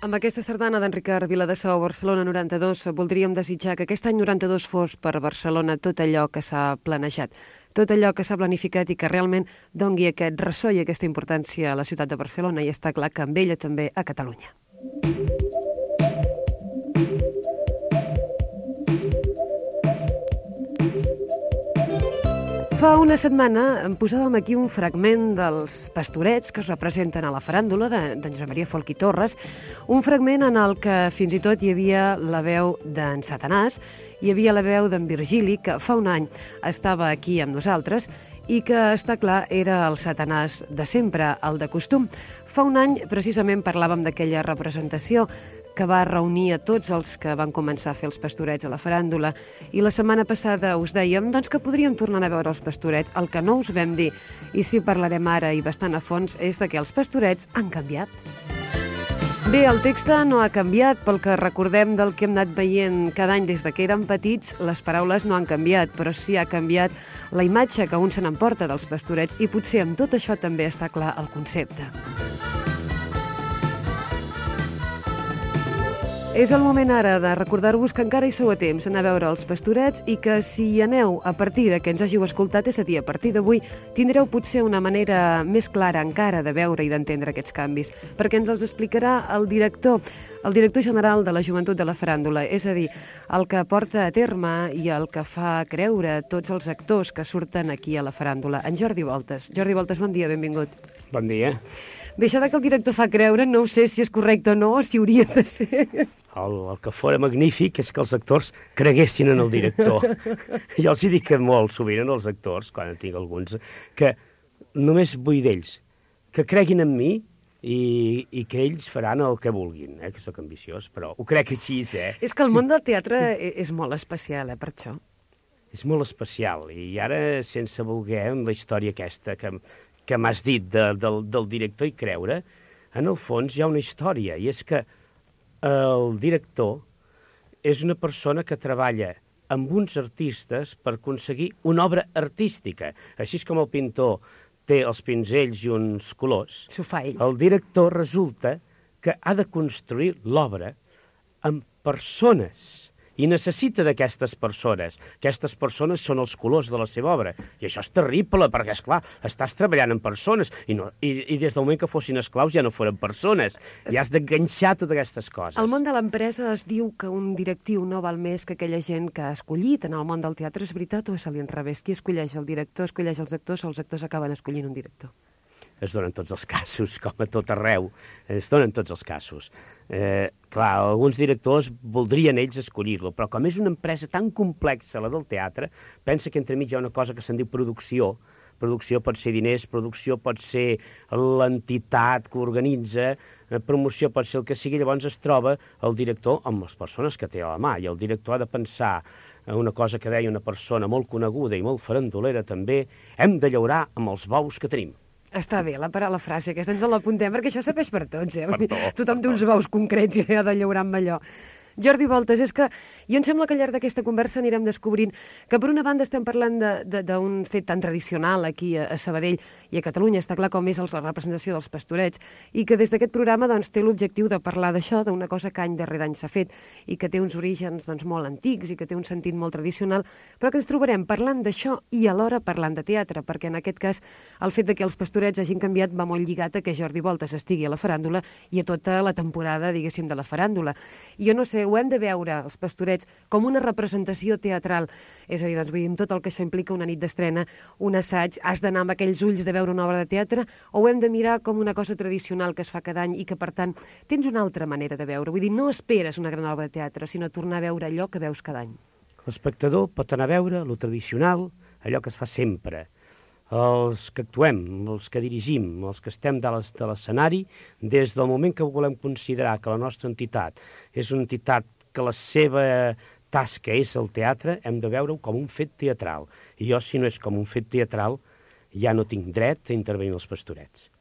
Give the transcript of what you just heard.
Amb aquesta sardana d'en Ricard Viladesau, Barcelona 92, voldríem desitjar que aquest any 92 fos per Barcelona tot allò que s'ha planejat, tot allò que s'ha planificat i que realment dongui aquest ressò i aquesta importància a la ciutat de Barcelona, i està clar que amb ella també a Catalunya. Fa una setmana em posàvem aquí un fragment dels pastorets que es representen a la faràndula d'en Josep Maria Folch i Torres, un fragment en el que fins i tot hi havia la veu d'en Satanàs, hi havia la veu d'en Virgili, que fa un any estava aquí amb nosaltres i que, està clar, era el Satanàs de sempre, el de costum. Fa un any, precisament, parlàvem d'aquella representació que va reunir a tots els que van començar a fer els pastorets a la faràndula, i la setmana passada us dèiem doncs, que podríem tornar a veure els pastorets. El que no us vam dir, i sí parlarem ara i bastant a fons, és de que els pastorets han canviat. Bé, el text no ha canviat, pel que recordem del que hem anat veient cada any des de que érem petits. Les paraules no han canviat, però sí ha canviat la imatge que un se n'emporta dels pastorets, i potser amb tot això també està clar el concepte. És el moment ara de recordar-vos que encara hi sou a temps d'anar a veure els pastorets, i que si hi aneu a partir de que ens hàgiu escoltat, és a dir, a partir d'avui, tindreu potser una manera més clara encara de veure i d'entendre aquests canvis, perquè ens els explicarà el director general de la Joventut de la Faràndula, és a dir, el que porta a terme i el que fa creure tots els actors que surten aquí a la faràndula, en Jordi Voltes. Jordi Voltes, bon dia, benvingut. Bon dia. Bé, això que el director fa creure, no sé si és correcte o no, o si hauria de ser. El que fora magnífic és que els actors creguessin en el director. Jo els hi dic molt sovint als actors, quan en tinc alguns, que només vull d'ells que creguin en mi i que ells faran el que vulguin, que sóc ambiciós, però ho crec així, És que el món del teatre és molt especial, per això. És molt especial, i ara, sense voler, amb la història aquesta que m'has dit del director i creure, en el fons hi ha una història, i és que el director és una persona que treballa amb uns artistes per aconseguir una obra artística. Així com el pintor té els pinzells i uns colors, s'ho fa ell. El director resulta que ha de construir l'obra amb persones, i necessita d'aquestes persones. Aquestes persones són els colors de la seva obra. I això és terrible, perquè, esclar, estàs treballant amb persones, i des del moment que fossin esclaus ja no foren persones. I has d'enganxar totes aquestes coses. Al món de l'empresa es diu que un directiu no val més que aquella gent que ha escollit. En el món del teatre és veritat o és a l'inrevés? Qui escolleix el director, escolleix els actors, o els actors acaben escollint un director? Es donen tots els casos, com a tot arreu. Es donen tots els casos. Clar, alguns directors voldrien ells escollir-lo, però com és una empresa tan complexa, la del teatre, pensa que entremig hi ha una cosa que se'n diu producció. Producció pot ser diners, producció pot ser l'entitat que organitza, promoció pot ser el que sigui. Llavors es troba el director amb les persones que té a la mà, i el director ha de pensar una cosa que deia una persona molt coneguda i molt farandolera també: hem de llaurar amb els bous que tenim. Està bé, la frase aquesta ens l'apuntem, perquè això serveix per tots, Per tot, Tothom té uns bous concrets i ha de llaurar amb allò. Jordi Voltes, és que jo em sembla que al llarg d'aquesta conversa anirem descobrint que per una banda estem parlant d'un fet tan tradicional aquí a Sabadell i a Catalunya, està clar com és la representació dels pastorets, i que des d'aquest programa doncs, té l'objectiu de parlar d'això, d'una cosa que any darrere any s'ha fet i que té uns orígens doncs, molt antics i que té un sentit molt tradicional, però que ens trobarem parlant d'això i alhora parlant de teatre, perquè en aquest cas el fet de que els pastorets hagin canviat va molt lligat a que Jordi Voltes estigui a la faràndula i a tota la temporada, diguéssim, de la faràndula. I jo no sé, ho hem de veure, els pastorets, com una representació teatral. És a dir, doncs, veiem tot el que això implica, una nit d'estrena, un assaig, has d'anar amb aquells ulls de veure una obra de teatre, o ho hem de mirar com una cosa tradicional que es fa cada any i que, per tant, tens una altra manera de veure. Vull dir, no esperes una gran obra de teatre, sinó tornar a veure allò que veus cada any. L'espectador pot anar a veure lo tradicional, allò que es fa sempre. Els que actuem, els que dirigim, els que estem de l'escenari, des del moment que volem considerar que la nostra entitat és una entitat que la seva tasca és el teatre, hem de veure-ho com un fet teatral. I jo, si no és com un fet teatral, ja no tinc dret a intervenir els pastorets.